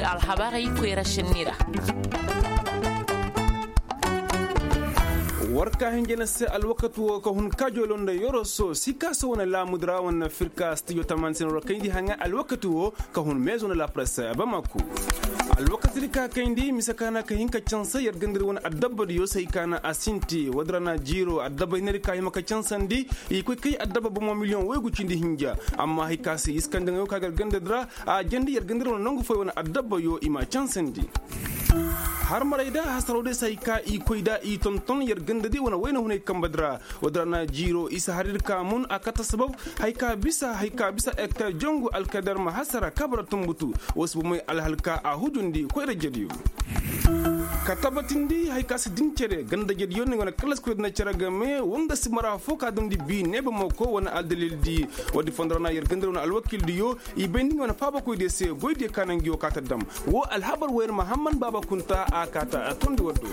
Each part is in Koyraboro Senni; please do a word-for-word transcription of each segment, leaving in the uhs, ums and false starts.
Alhabarey koyra senni ra. War ka hinjina se alwakati wo ka hun kaajoolo nda yoroso si ka se wane laamudi ra wane firka stijo tamaani se no ra kayndi haŋa alwakati wo ka hun meezo nda lapresse bamako. Alwakati di ka kayndi mise ka na ka hin ka canse yer ganda di wane adabba diyo se hay ka na a sinti woodi ra na jiiro adabba hinne di ka hima ka cansandi i koy kay adabba bomo miliyoŋ waygu cindi hinja. Amma hay ka se iskanda ŋayo ka gar ganda di ra a jandi yer ganda di wane nangu foy wane adabba yo i ma cansandi. Harmaray da hasaroo day se hay ka i koy da i tonton yer ganda di wane wayna hunay kamba di ra. Woodi ra na jiiro isa har ir ka mun a kata sabab hay ka bisa hay ka bisa ektar jongu alkadar ma hasara kabara tumbutu. Woo si bomey alhalka a hujundi koyra jediyo. Ka tabatindi hay ka si din cere ganda jediyo ni wane kalas koyra dina cere game woo nga si mara foo ka damndi bi neeba moko wane aldalil di. Woodi fondo ra na yer ganda di wane alwakil diyo i bay ni wane faabakoy diyo se goy diyo ka na ngi woo ka ta dam. Woo alhabar wayar mahamman baaba kunta a ka ta a tondi waddo.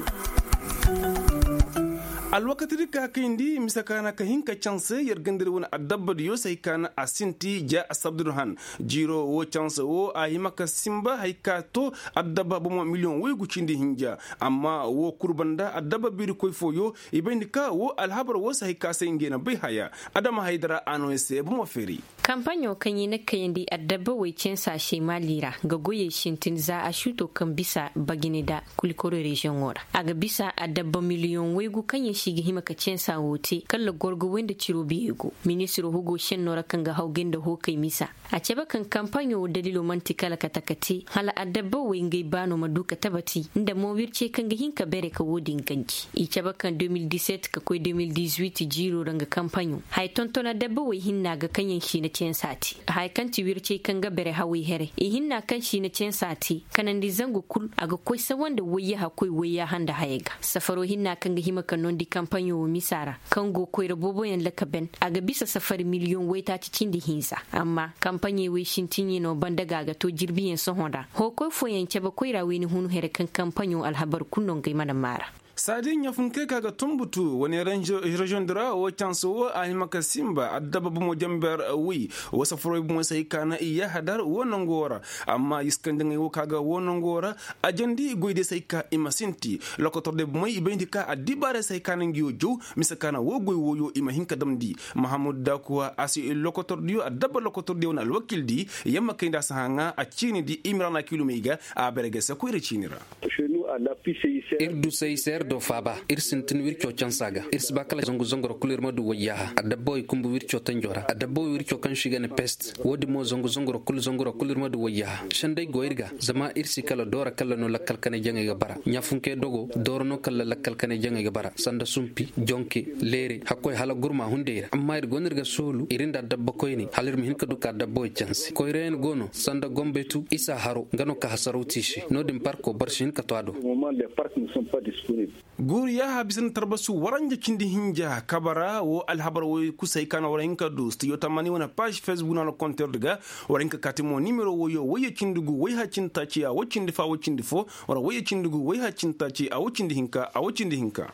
Alwakati di ka kayndi mise ka na ka hin ka canse yer ganda di wane adabba diyo se hay ka na a sinti ja asabdurhan. Jiiro woo canse woo a hima ka sinba hay ka to adabba bomo miliyoŋ waygu cindi hinja. Amma woo kul banda adabba biiri koy fooyo i bay ni ka woo alhabar woo se hay ka se ngey na bay haya. Adama haydara a no i se bomo feeri. Kampaɲo kaŋ i na kayandi adabba way cansa se maali ra nga goyey sintin za a suuto kaŋ bisa bagine da kulikoro reziyoŋo ra a ga bisa adabba miliyoŋ waygu kaŋ yaŋ se i ga hima ka cansa woo te kala gorgo way nda ciro biyey go. Ministiro hugo senno ra kaŋ ga hawgay nda hookay misa a cabe kaŋ kampaɲo woo dalilo man'ti kala kate ka te hala adabba way ngey baano ma du ka tabati nda mo wircey kaŋ ga hin ka bere ka woo din ganji. I cabe kaŋ de mil diset ka koy de mil dizuit jiiro ra nga kampaɲo haya tonton adabba way hinna ga kaŋ yaŋ siina cansa te haya kaŋ ti wircey kaŋ ga bere haway here i hinna kaŋ siina cansa te kanandi zangu kul a ga koy sawa nda wayyaha koy wayyaha nda hayey ga safaro hinna kaŋ ga hima ka noondi kampaɲo woo misa ra kaŋ go koyra booboyaŋ lakaben a ga bisa safari miliyoŋ waytaaci cindi hinza. Amma kampaɲey wey sintiɲey no banda ga a ga to jirbiyaŋ sohõ ra hookoy fooyaŋ cabe koyra wayna hunu here kaŋ kampaɲo alhabar kul no ngey mana maara. Saadi ɲafunkey ka ga tumbutu wane reziyoŋ di ra woo canse woo a hima ka sinba adabba bomo jamber wi woo safaroo bomo se hay ka na i yahadar woo nangu woo ra. Amma iskandiŋey woo ka ga woo nangu woo ra a jandi goy diyo se hay ka i ma sinti lokotor diyo bomey i bayndi ka addibaarey se hay ka na ngi woo jow mise ka na woo goy wooyo i ma hin ka damndi. Mahamud dakuwa a si lokotor diyo adabba lokotor diyo wane alwakil di yamma kayndi a si haŋa a ciini di imrana kilumey ga a bere ga se koyra ciini ra. Ir du se i se ir do faaba ir sintin wirco cansa ga ir si ba kala zangu zangu ra kul ir ma du wayyaaha adabba way kumbu wirco tanjo ra adabba way wirco kaŋ se i ga ne pest. Woodin mo zangu zangu ra kul zangu ra kul ir ma du wayyaaha sendey go ir ga zama ir si kala doora kala no lakkal kanay jaŋay ga bara ɲafunkey dogo doora no kala lakkal kanay jaŋay ga bara sanda sumpi jonke leere hakkoy hala gurma hunday ra amma ir go no ir ga soolu ir nda adabba koyney hala ir ma hin ka du ka adabba way canse koyrayaŋ go no sanda gombetu isa haro nga no ka hasaraw te i se no-din parko boro si hin ka to a do. Guuru yaaha bisa nda tarbasu waranja cindi hinja kabara woo alhabar woy kusay ka na war hin ka du stijo tamani wane paaž fesbuk na no konter di ga. War hin ka kaati mo nimero woyo woyye cindi gu woyha cindi taaci a woy cindi fo a woy cindi fo. War woyye cindi gu woyha cindi taaci a woy cindi hinka a woy cindi hinka.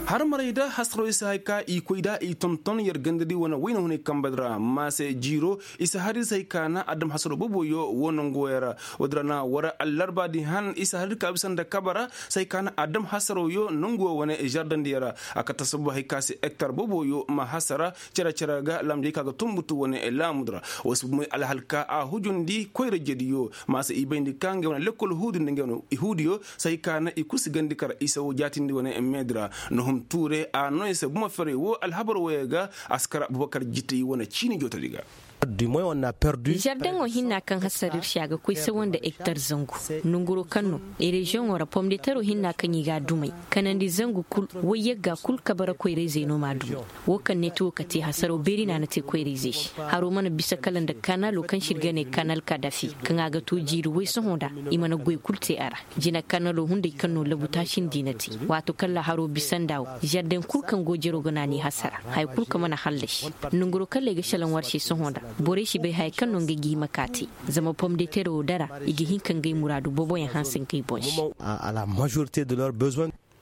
Harmaray da hasaroo i si hay ka i koy da i tonton yer ganda di wane wayna hunay kamba di ra maase jiiro i si har i si hay ka na adam hasaroo boboyo woo nonguwo ya ra. Woodi ra na war allarba di han i si har ir ka bisa nda kaba ra si hay ka na adam hasaroo yo nonguwo wane žardan di ya ra. A kate sababu hay ka se ektar boboyo ma hasara cere cere ga laamjey ka ga tumbutu wane laamu di ra. Woo si bumey alhalka a hujundi koyra jediyo maase i bayndi ka ngey wane lekkol huudi nda ngey wane huudiyo si hay ka na i kul si gandi kar isa woo jaatindi wane meedi ra. Nohum tuure a no i se buma ferey woo alhabar wooyo ga a si kar abubakar jitey wane ciini jootodi ga. Žardeŋo hinna kaŋ hasara ir se a ga koy sawa nda ektar zangu. Nonguroo kaŋ no reziyoŋo ra pomdeteroo hinna kaŋ i ga a dumey kanandi zangu kul woy yagga kul kabara koyra-izey no m'a dumey. Woo kaŋ ne ti woo ka te hasaroo beeri no a na te koyra-izey se. Haroo mana bisa kala nda kanaloo kaŋ se ir ga ne kanal kadafi kaŋ a ga too jiiri woy sohõ nda i mana goy kul te a ra. Jina kanaloo hunday kaŋ no labu taasindi na te. Waato kaŋ ra haroo bisa nda woo žardeŋ kul kaŋ go jeroo ga naanay hasara haya kul kaŋ mana hallasi. Nonguroo kaŋ ra ay ga šelaŋ war se sohõ nda borey si bay haya kaŋ no ngey ga hima ka te. Zama pomdeteroo dara i ga hin ka ngey muraadu booboyaŋ hanse ngey boŋ se.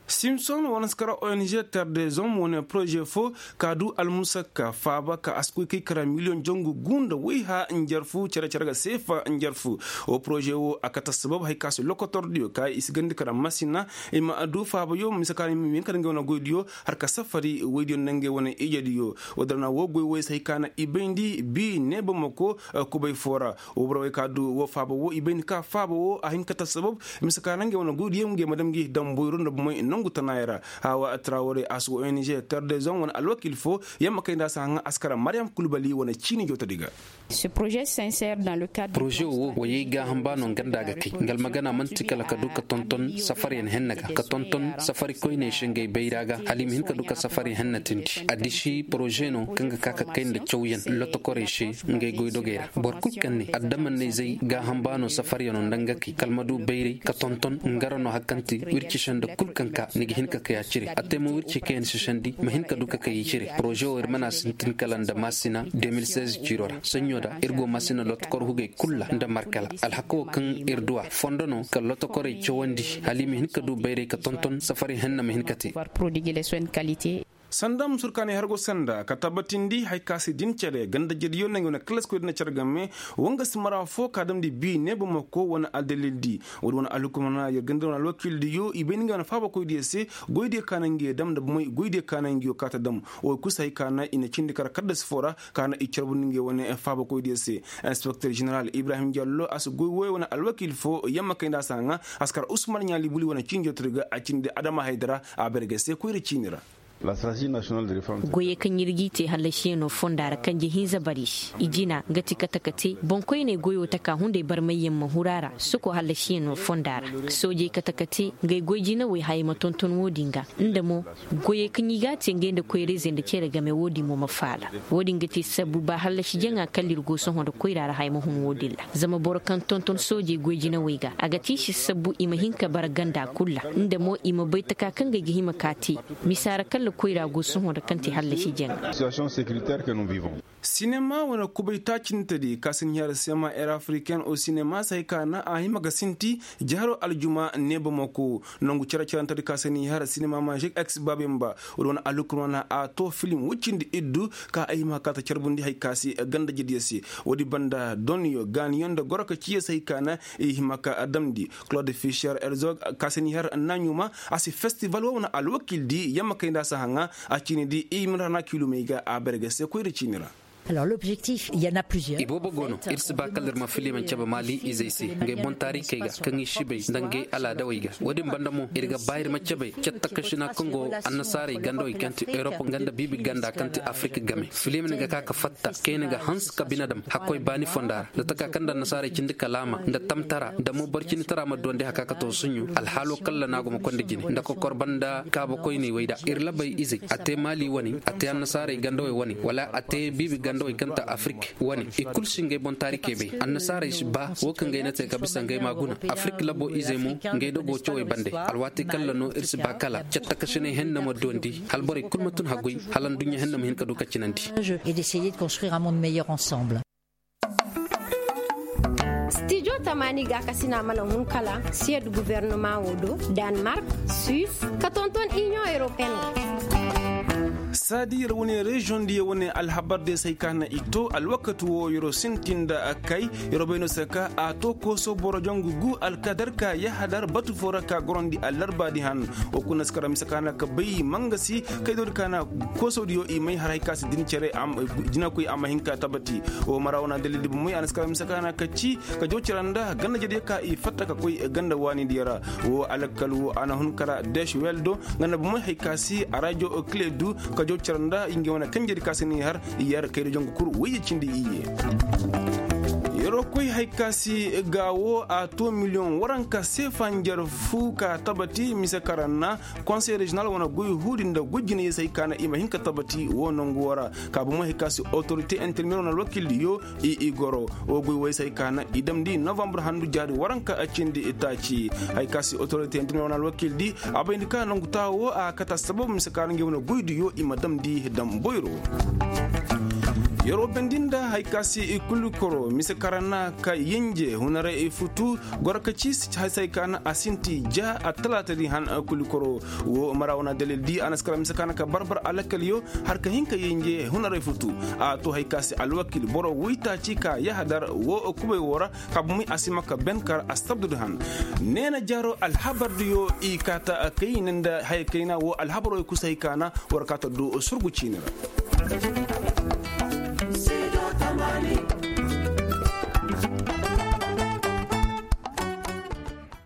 Simson wane si kara ong terre des hommes wane poroze fo ka du almusakka faaba ka a si koy kay kara miliyoŋ jangu gu nda wayha njarfu cere cere ga seefa njarfu. Wo poroze wo a kate assabab hari ka si lokotordiyo ka i si gandi kara masina i ma du faabayo mise ka ra i ma hin ka nda ngey wane goydiyo har ka safari woydiyo nda ngey wane ijediyo. Wo- din ra na wo goy woy si hari ka na i bayndi bi neeba mako kubay fo ra. Wo borey ka du wo faaba wo i bay ni ka faaba wo a hin ka te assabab mise ka ra ngey wane goydiyo ngey ma dam ngi damboyro nda bomey nangu tanaayey ra. Hawa trawarey a si wo ong terre des hommes wane alwakiil fo yamma kay nda a si haŋa a si kara mariyam kulbali wane ciini jawtadi ga. Poroze wo wayey gaaham ba no nga nda a ga kay nga almagana man'ti kala ka du ka tonton safaryaŋ henna ga ka tonton safari koyney se ngey bayra ga hala i ma hin ka du ka safari henna tindi. Addiši poroze no kaŋ ga ka ka kay nda cawyaŋ lotokorey se ngey goydogey ra boro kul kaŋ ne adamanney zey gaaham ba no safaryano nda nga kay kala ma du bayray ka tonton nga ra no hari kaŋ ti wirci senda kul kaŋ ka ni ga hin ka kay a cire a te mo wirci kaŋ yaŋ si sandi ma hin ka du ka kay i cire poroze wo ir mana sintin kala nda maasina de mil seize ciiro ra saɲɲo da ir go maasina lotokor hugey kul ra nda markala alhaka wo kaŋ ir du a fondo no ka lotokorey cawandi hala i ma hin ka du bayray ka tonton safari henna ma hin ka te. Sanda musur ka ne hargo sanda ka tabbatindi hari ka si din cere ganda jediyo nangey wane kalaskoy din na cere game. Wanga si mara fo ka damndi bi ne bamako wane aldalildi wala wane alhukumana yer ganda wane alwakildiyo i bay nangey wane faabakoydiyo se. Goydiyo ka nangey dam nda bomey goydiyo ka nangey ka ta dam. Wo kusa hari ka na i na cindi kara kaddasi fo ra ka na i carbundi ngey wane faabakoydiyo se. Inspekter jeneral ibrahim jallo a si goy woy wane alwakil fo yamma kay nda a si haŋa a si kar usman ɲaali buli wane ciini jootodi ga a cindi adama haydara a berge se koyra ciini ra. Goyey kaŋ ir g'i te hallasiyaŋo fonda ra kanje hinza bari se i jina nga ti kate ka te boŋkoyney goyo taka hunday barmayyaŋ ma huru a ra soko hallasiyaŋo fonda ra. Soojey kate ka te ngey goy jinawey hayey ma tonton wo-din ga nda mo goyey kaŋ i g'a te ngey nda koyra-izey nda cere game wo-din mo ma faala. Wo-din ga te sabbu ba hallasi jaŋa kala ir go sohõ nda koyra ra haya ma hun wo-din ra. Zama boro kaŋ tonton soojey goy jinawey ga a ga te i se sabbu i ma hin ka bara ganda kul ra nda mo i ma bay taka kaŋ ga ay ga hima ka te. Misa ra kala koyra go sohõ nda kaŋ te hallasi jaŋa. Sinema wane kubay taacintedi ka si ni har sema air africaine o sinema se hay ka na a hima ga sinti jaharo aljuma neeba mako nangu care carantedi ka si ni har sinema majik ex babemba. Wala wane alhukurmana a to filim wuccindi iddu ka a hima ka ta carbundi hay ka si ganda jediyo se. Woodi banda donyo gaaniyo nda goro ka ciiyo se hay ka na i hima ka damndi. Claude fisher herzog ka si ni har naɲuma a si festival wo wane alwakildi yamma kay nda a si haŋa a ciinidi i ma rana kilomey ga a berge se koyra ciini ra. Iboobo go no ir si ba kala ir ma filimaŋ cabe maali izey se ngey boŋ taarikey ga kaŋ i si bay nda ngey alaadawey ga. Wo-din banda mo ir ga ba ir ma cabe cattakašina kaŋ go annasaarey gandawey kaŋ ti erop nga nda biibi ganda kaŋ ti afirik game filimaŋ ga ka ka fatta kayna ga hanse ka bine dam hakkoy baani fonda ra nda taka kaŋ nda annasaarey cindi kalaama nda tamtara nda mo boro cindi tara ma duwandi haka ka to suɲɲu alhaalo kalla no a go ma konda jine nda kokor banda kaaba koyney wey da ir labey izey a te maali wane a te annasaarey gandawey wane wala a te biibi gandawey kaŋ ta afirik wane i kulu si ngey boŋ taarikey bay annasaarey si ba wo kaŋ ngey na te ka bisa ngey ma guna afirik labo izey mo ngey dogo cawey bande alwaati kalla no ir si ba kala cattakasiney henna ma duwandi hala borey kulu ma tun haggoy hala nduɲɲa henna ma hin ka du ka cinandi. Stijo tamaani gaakasina mana hun kala siyed guverneman wo do, danmark, suis, ka tonton inion europeen wo. Saadi yer wane reziyoŋ diyo wane alhabar diyo se ay ka na i to alwakati wo yeroo sintin nda kay yeroo bay no se ka a to kooso boro jangu gu alkadar ka yahadar batu fo ra ka gorondi allarbaadi han. Wo kuna si kara mise ka na ka bay mangasi kay doodi ka na kooso diyo i may har hay ka si din cere jinakoy a ma hin ka tabati. Wo mara wane dalil di bomey a na si kara mise ka na ka ci ka jaw cere nda ganda jediyo ka i fatta ka koy ganda waani diyo ra. Wo alakal wo a na hun kara desh weldo nga nda bomey hay ka si a rajo kile du ka jaw cere nda i nga wane kanjedi ka si ni har i yar kayda jangu kul wayye cindi iyye. Yeroo koy hay ka si ga wo a to miliyoŋ waranka seefa njar fu ka tabati mise karanna konsey rezinal wane goy huudi nda goy jinayey se hay ka na i ma hin ka tabati wo nangu wo ra. Ka bomey hay ka si otorite intermedier wane alwakildiyo i i goro wo goy woy se hay ka na i damndi novambre handu jaari waranka cindi taaci. Hay ka si otorite intermedier wane alwakildi a bayndi ka nangu taa wo a kata sababu mise ka na ngey wane goydiyo i ma damndi dam boyro. Yeroo bendin da hari ka si kulikoro mise kaŋ ra na ka yenje hunaray futu goro ka ci si hay se hay ka na a sinti ja attalaata di han. Kulikoro wo mara wana dalil di a na si kara mise kaŋ na ka barbar alakaliyo har ka hin ka yenje hunaray futu. A to hay ka si alwakil boro woytaaci ka yahadar wo kubay wo ra ka bumi a si ma ka ben kar astabdu di han. Neena jaaro alhabar diyo i kaata kayna nda haya kayna wo alhabaroo i kusa hay ka na war kaata du surgu ciini ra.